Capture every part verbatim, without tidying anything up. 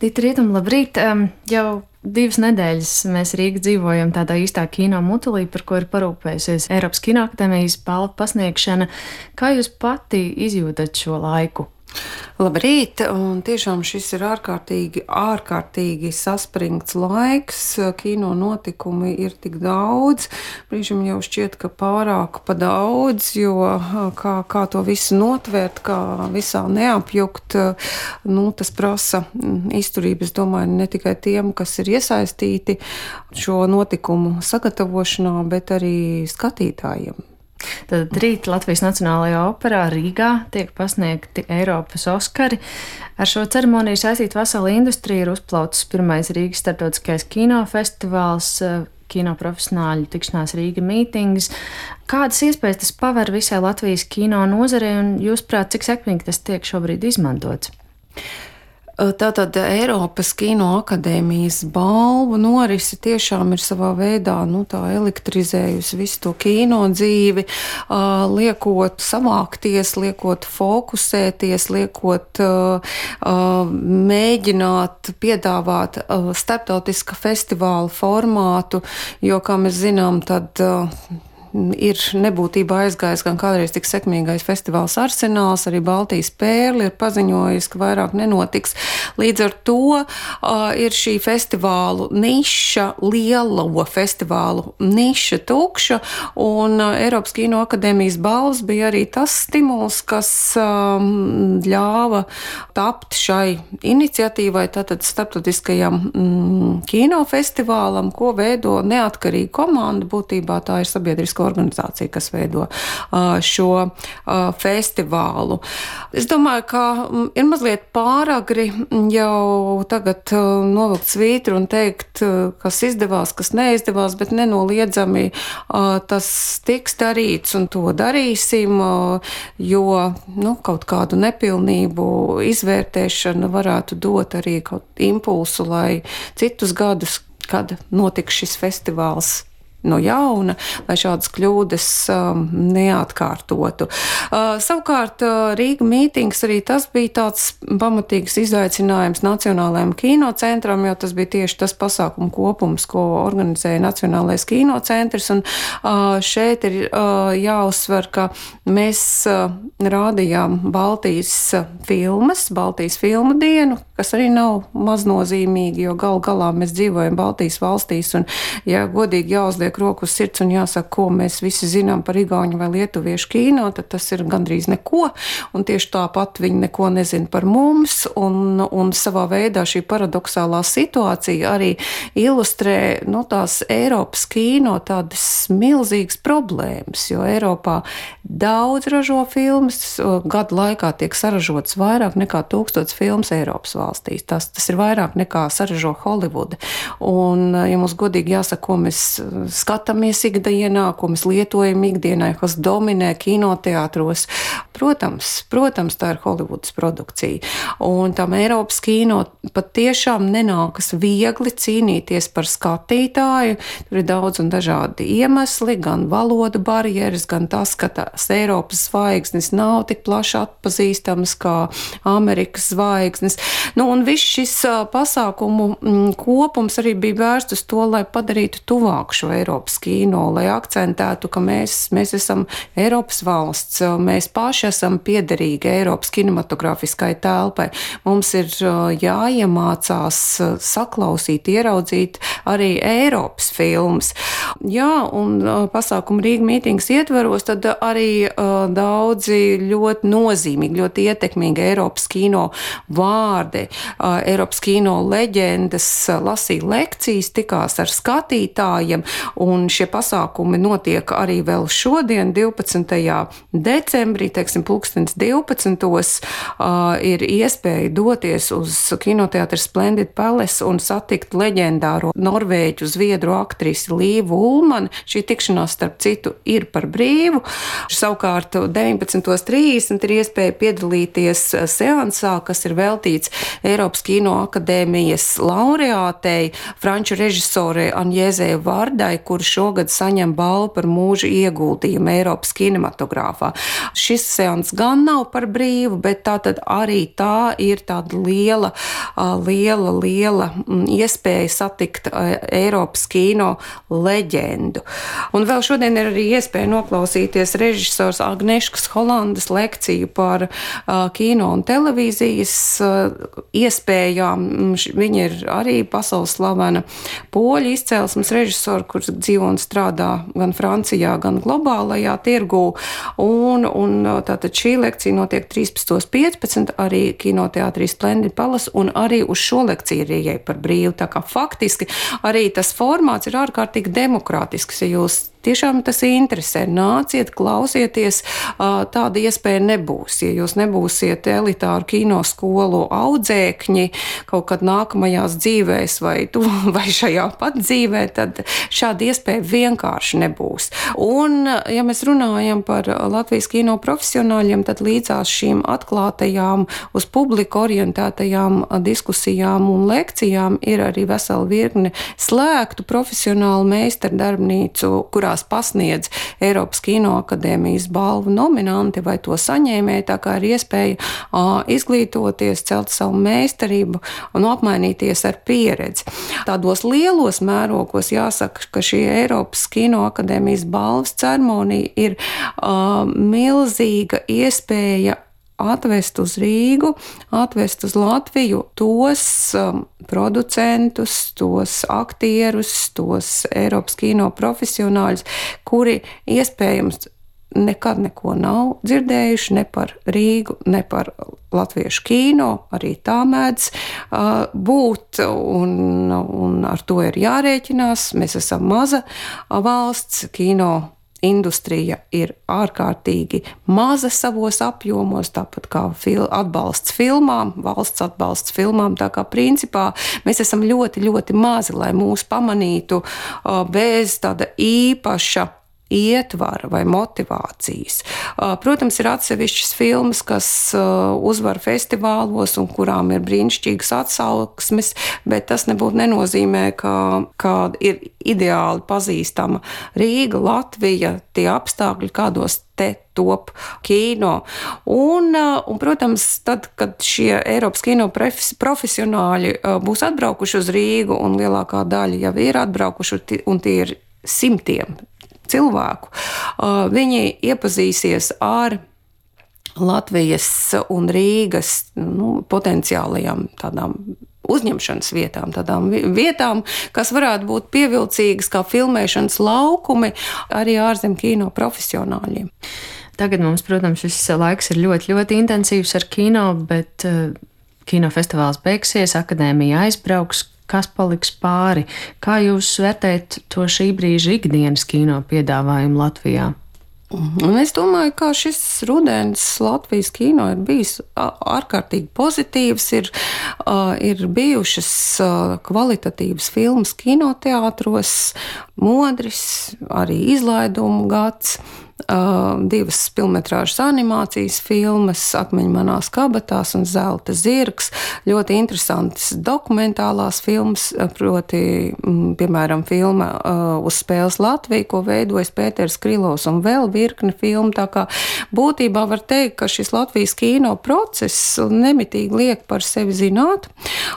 Dita Rietum, labrīt! Um, jau divas nedēļas mēs Rīgā dzīvojam tādā īstā kino mutulī, par ko ir parūpējusies Eiropas Kinoakadēmijas balvu pasniegšana. Kā jūs pati izjūtat šo laiku? Labrīt, un tiešām šis ir ārkārtīgi, ārkārtīgi saspringts laiks. Kino notikumi ir tik daudz, brīžam jau šķiet, ka pārāk pa daudz, jo kā, kā to visu notvērt, kā visā neapjukt, nu, tas prasa izturību, es domāju, ne tikai tiem, kas ir iesaistīti šo notikumu sagatavošanā, bet arī skatītājiem. Tad rīt Latvijas Nacionālajā operā Rīgā tiek pasniegti Eiropas Oskari. Ar šo ceremoniju saistīta vesela industrija, ir uzplaucis pirmais Rīgas starptautiskais kinofestivāls, kino profesionāļu tikšanās Rīga mītings. Kādas iespējas tas paver visai Latvijas kino nozarei un, jūsuprāt, cik sekmīgi tas tiek šobrīd izmantots? Tātad Eiropas Kinoakadēmijas balvu norisi tiešām ir savā veidā nu, tā elektrizējusi visu to kino dzīvi, liekot savākties, liekot fokusēties, liekot mēģināt piedāvāt starptautiska festivāla formātu, jo, kā mēs zinām, tad ir nebūtībā aizgājis gan kādreiz tik sekmīgais festivāls Arsenāls, arī Baltijas Pērle ir paziņojis, ka vairāk nenotiks. Līdz ar to uh, ir šī festivālu niša, lielo festivālu niša tukša, un uh, Eiropas Kinoakadēmijas balvas bija arī tas stimuls, kas um, ļāva tapt šai iniciatīvai, tātad starptautiskajam mm, kinofestivālam, ko veido neatkarīga komanda, būtībā tā ir sabiedrisko organizācija, kas veido uh, šo uh, festivālu. Es domāju, ka um, ir mazliet pāragri jau tagad uh, novilkt svītru un teikt, uh, kas izdevās, kas neizdevās, bet nenoliedzami uh, tas tiks darīts un to darīsim, uh, jo nu, kaut kādu nepilnību izvērtēšana varētu dot arī kaut impulsu, lai citus gadus, kad notiks šis festivāls no jauna, lai šādas kļūdas um, neatkārtotu. Uh, savukārt uh, Rīga mītings arī tas bija tāds pamatīgs izaicinājums Nacionālajam kinocentram, jo tas bija tieši tas pasākumu kopums, ko organizēja Nacionālais kinocentrs, un uh, šeit ir uh, jāuzsver, ka mēs uh, rādījām Baltijas filmas, Baltijas filmu dienu, kas arī nav maznozīmīgi, jo gal galā mēs dzīvojam Baltijas valstīs, un, ja godīgi jāuzliek roku uz sirds un jāsaka, ko mēs visi zinām par igauņu vai lietuviešu kino, tad tas ir gandrīz neko, un tieši tāpat viņi neko nezina par mums, un, un savā veidā šī paradoxālā situācija arī ilustrē nu, tās Eiropas kino tādas milzīgas problēmas, jo Eiropā daudz ražo filmas, gadu laikā tiek saražotas vairāk nekā tūkstots filmas Eiropas valstīs. Tas, tas ir vairāk nekā saražo Holivuda. Un, ja mums godīgi jāsaka, ko mēs skatāmies ikdienā, ko mēs lietojam ikdienā, kas dominē kinoteātros. Protams, protams, tā ir Holivudas produkcija. Un tam Eiropas kino pat tiešām nenākas viegli cīnīties par skatītāju. Tur ir daudz un dažādi iemesli, gan valoda barjeras, gan tas, ka tās Eiropas zvaigznes nav tik plaši atpazīstamas kā Amerikas zvaigznes. Nu, un viss šis pasākumu kopums arī bija vērsts uz to, lai padarītu tuvāk šo Eiropas kino, lai akcentētu, ka mēs, mēs esam Eiropas valsts, mēs paši esam piederīgi Eiropas kinematogrāfiskai telpai. Mums ir jāiemācās saklausīt, ieraudzīt arī Eiropas filmas. Jā, un pasākumu Rīga mītings ietveros, tad arī daudzi ļoti nozīmīgi, ļoti ietekmīgi Eiropas kino vārdi, Eiropas kino leģendas lasīja lekcijas, tikās ar skatītājiem, un šie pasākumi notiek arī vēl šodien, divpadsmitajā decembrī, teiksim, pulkstens divpadsmitos, uh, ir iespēja doties uz kinoteātri Splendid Palace un satikt leģendāro norvēģu zviedru aktrisi Līvu Ulmani. Šī tikšanās, starp citu, ir par brīvu. Savukārt deviņpadsmitos trīsdesmit ir iespēja piedalīties seansā, kas ir veltīts Eiropas Kinoakadēmijas laureātei, franču režisorei Anjēzei Vardai, kur šogad saņem balvu par mūža ieguldījumu Eiropas kinematogrāfā. Šis seans gan nav par brīvu, bet tā tad arī tā ir tāda liela, liela, liela iespēja satikt Eiropas kino leģendu. Un vēl šodien ir arī iespēja noklausīties režisors Agneškas Holandas lekciju par uh, kino un televīzijas uh, iespējām. Viņa ir arī pasaules slavena poļu izcelsmes režisora, kurš dzīvo un strādā gan Francijā, gan globālajā tirgū. Un, un tātad šī lekcija notiek trīspadsmit piecpadsmit arī kinoteātrī Splendid Palace, un arī uz šo lekciju ir ieeja par brīvu. Tā kā faktiski arī tas formāts ir ārkārtīgi demokrātisks, ja jūs tiešām tas interesē. Nāciet, klausieties, tāda iespēja nebūs. Ja jūs nebūsiet elitāru kinoskolu audzēkņi kaut kad nākamajās dzīvēs vai, tu, vai šajā pat dzīvē, tad šāda iespēja vienkārši nebūs. Un, ja mēs runājam par Latvijas kino profesionāļiem, tad līdzās šīm atklātajām, uz publiku orientētajām diskusijām un lekcijām ir arī vesela virkne slēgtu profesionālu meistardarbnīcu, kurā pasniedz Eiropas Kinoakadēmijas balvu nominanti vai to saņēmēji, tā kā ir iespēja uh, izglītoties, celt savu meistarību un apmainīties ar pieredzi. Tādos lielos mērogos jāsaka, ka šī Eiropas Kinoakadēmijas balvas ceremonija ir uh, milzīga iespēja atvest uz Rīgu, atvest uz Latviju tos um, producentus, tos aktierus, tos Eiropas kino profesionāļus, kuri iespējams nekad neko nav dzirdējuši ne par Rīgu, ne par latviešu kino, arī tā mēdz uh, būt, un, un ar to ir jārēķinās. Mēs esam maza valsts, kino industrija ir ārkārtīgi maza savos apjomos, tāpat kā fil- atbalsts filmām, valsts atbalsts filmām, tā kā principā mēs esam ļoti, ļoti mazi, lai mūs pamanītu uh, bez tāda īpaša ietvara vai motivācijas. Protams, ir atsevišķas filmas, kas uzvar festivālos un kurām ir brīnišķīgas atsauksmes, bet tas nebūtu nenozīmē, ka, ka ir ideāli pazīstama Rīga, Latvija, tie apstākļi, kādos te top kino. Un, un, protams, tad, kad šie Eiropas kino profesionāļi būs atbraukuši uz Rīgu, un lielākā daļa jau ir atbraukuši, un tie ir simtiem cilvēku, viņi iepazīsies ar Latvijas un Rīgas nu, potenciālajām tādām uzņemšanas vietām, tādām vietām, kas varētu būt pievilcīgas kā filmēšanas laukumi arī ārzem kino profesionāļiem. Tagad mums, protams, šis laiks ir ļoti, ļoti intensīvs ar kino, bet uh, kinofestivāls beigsies, akadēmija aizbrauks. Kas paliks pāri? Kā jūs vērtējat to šī brīža ikdienas kino piedāvājumu Latvijā? Un es domāju, ka šis rudens Latvijas kino ir bijis ārkārtīgi pozitīvs, ir, ir bijušas kvalitatīvas filmas kinoteātros, Modris, arī izlaidumu gads, divas filmetrāžas animācijas filmas, Akmeņi manās kabatās un Zelta zirgs, ļoti interesantas dokumentālās filmas, proti, piemēram, filma Uz spēles Latvija, ko veidojas Pēters Krilovs, un vēl virkne filmu, tā kā būtībā var teikt, ka šis Latvijas kino process nemitīgi liek par sevi zināt,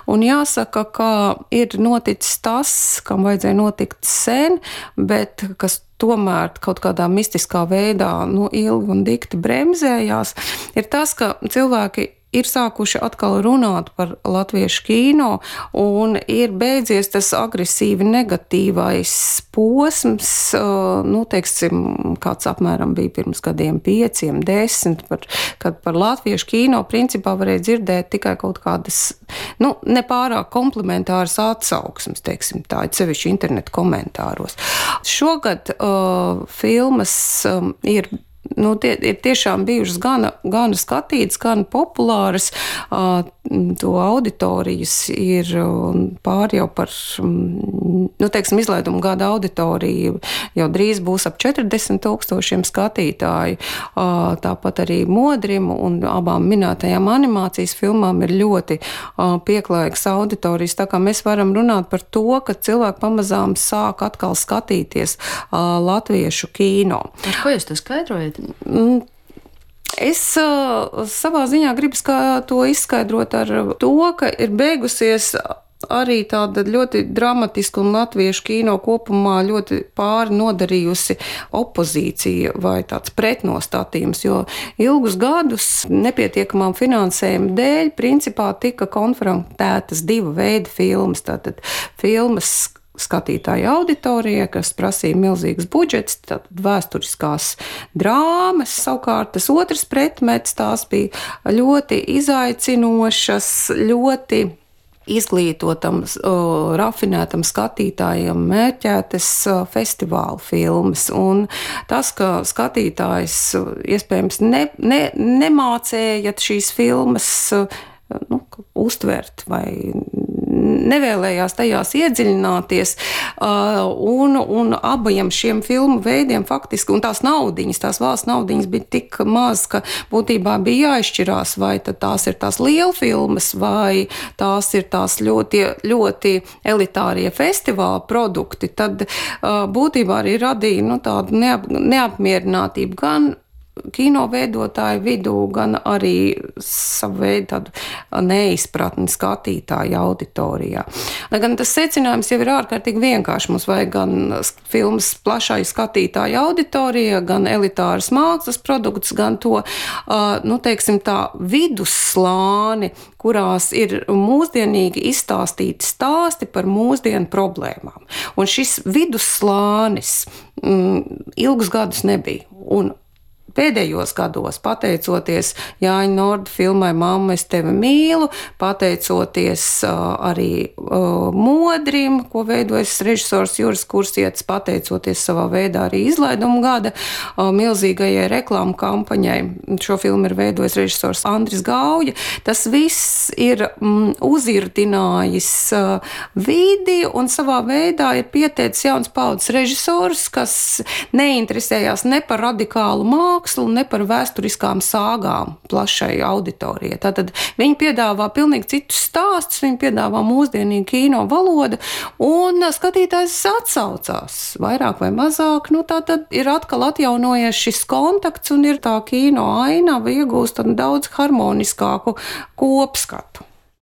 un jāsaka, ka ir noticis tas, kam vajadzēja notikt sen, bet kas tomēr kaut kādā mistiskā veidā nu, ilgi un dikti bremzējās, ir tas, ka cilvēki ir sākuši atkal runāt par latviešu kino un ir beidzies tas agresīvi negatīvais posms, nu, teiksim, kāds apmēram bija pirms gadiem pieciem, desmit, par, kad par latviešu kino principā varēja dzirdēt tikai kaut kādas, nu, nepārāk komplementāras atsauksmes, teiksim tā, sevišķi internetu komentāros. Šogad uh, filmas um, ir nu, tie ir tiešām bijušas gana, gana skatītas, gana populāras. To auditorijas ir pār jau par, nu, teiksim, izlaidumu gada auditoriju jau drīz būs ap četrdesmit tūkstošiem skatītāju. Tāpat arī Modrim un abām minētajām animācijas filmām ir ļoti pieklājīgas auditorijas, tā kā mēs varam runāt par to, ka cilvēki pamazām sāk atkal skatīties latviešu kino. Ar ko jūs to skaidrojat? Es uh, savā ziņā gribu to izskaidrot ar to, ka ir beigusies arī tāda ļoti dramatiska un latviešu kino kopumā ļoti pāri nodarījusi opozīcija vai tāds pretnostatījums, jo ilgus gadus nepietiekamām finansējuma dēļ principā tika konfrontētas divu veidu filmas. Tātad filmas skatītāju auditorijai, kas prasīja milzīgas budžets, tad vēsturiskās drāmas. Savukārt tas otrs pretmets, tās bija ļoti izaicinošas, ļoti izglītotam, rafinētam skatītājiem mērķētas festivāla filmas. Un tas, ka skatītājs iespējams ne, ne, nemācējat šīs filmas nu, uztvert vai nevēlējās tajās iedziļināties, un, un abiem šiem filmu veidiem faktiski, un tās naudiņas, tās valsts naudiņas bija tik maz, ka būtībā bija jāizšķirās, vai tad tās ir tās lielfilmas, vai tās ir tās ļoti, ļoti elitārie festivāla produkti, tad būtībā arī radīja nu, tādu neap, neapmierinātību gan kino veidotāju vidū, gan arī savu veidu tādu neizpratni skatītāju auditorijā. Lai gan tas secinājums jau ir ārkārtīgi vienkārši. Mums vajag gan filmas plašai skatītāju auditorijai, gan elitāras mākslas produktus, gan to, nu, teiksim, tā vidusslāni, kurās ir mūsdienīgi izstāstīti stāsti par mūsdienu problēmām. Un šis vidusslānis mm, ilgus gadus nebija. Un pēdējos gados, pateicoties Jāņa Norda filmai Mamma, es tevi mīlu, pateicoties uh, arī uh, Modrim, ko veidojas režisors Juris Kursietis, pateicoties savā veidā arī izlaidumu gada uh, milzīgajai reklāmu kampaņai. Šo filmu ir veidojis režisors Andris Gauja. Tas viss ir mm, uzirdinājis uh, vidi un savā veidā ir pieteicis jauns paudzes režisors, kas neinteresējās ne par radikālu mākslu, ne par vēsturiskām sāgām plašai auditorijai. Tātad viņi piedāvā pilnīgi citus stāstus, viņi piedāvā mūsdienīgu kino valodu, un skatītājs atsaucās vairāk vai mazāk. Nu, tātad ir atkal atjaunojies šis kontakts, un ir tā kino ainava iegūst daudz harmoniskāku kopskatu.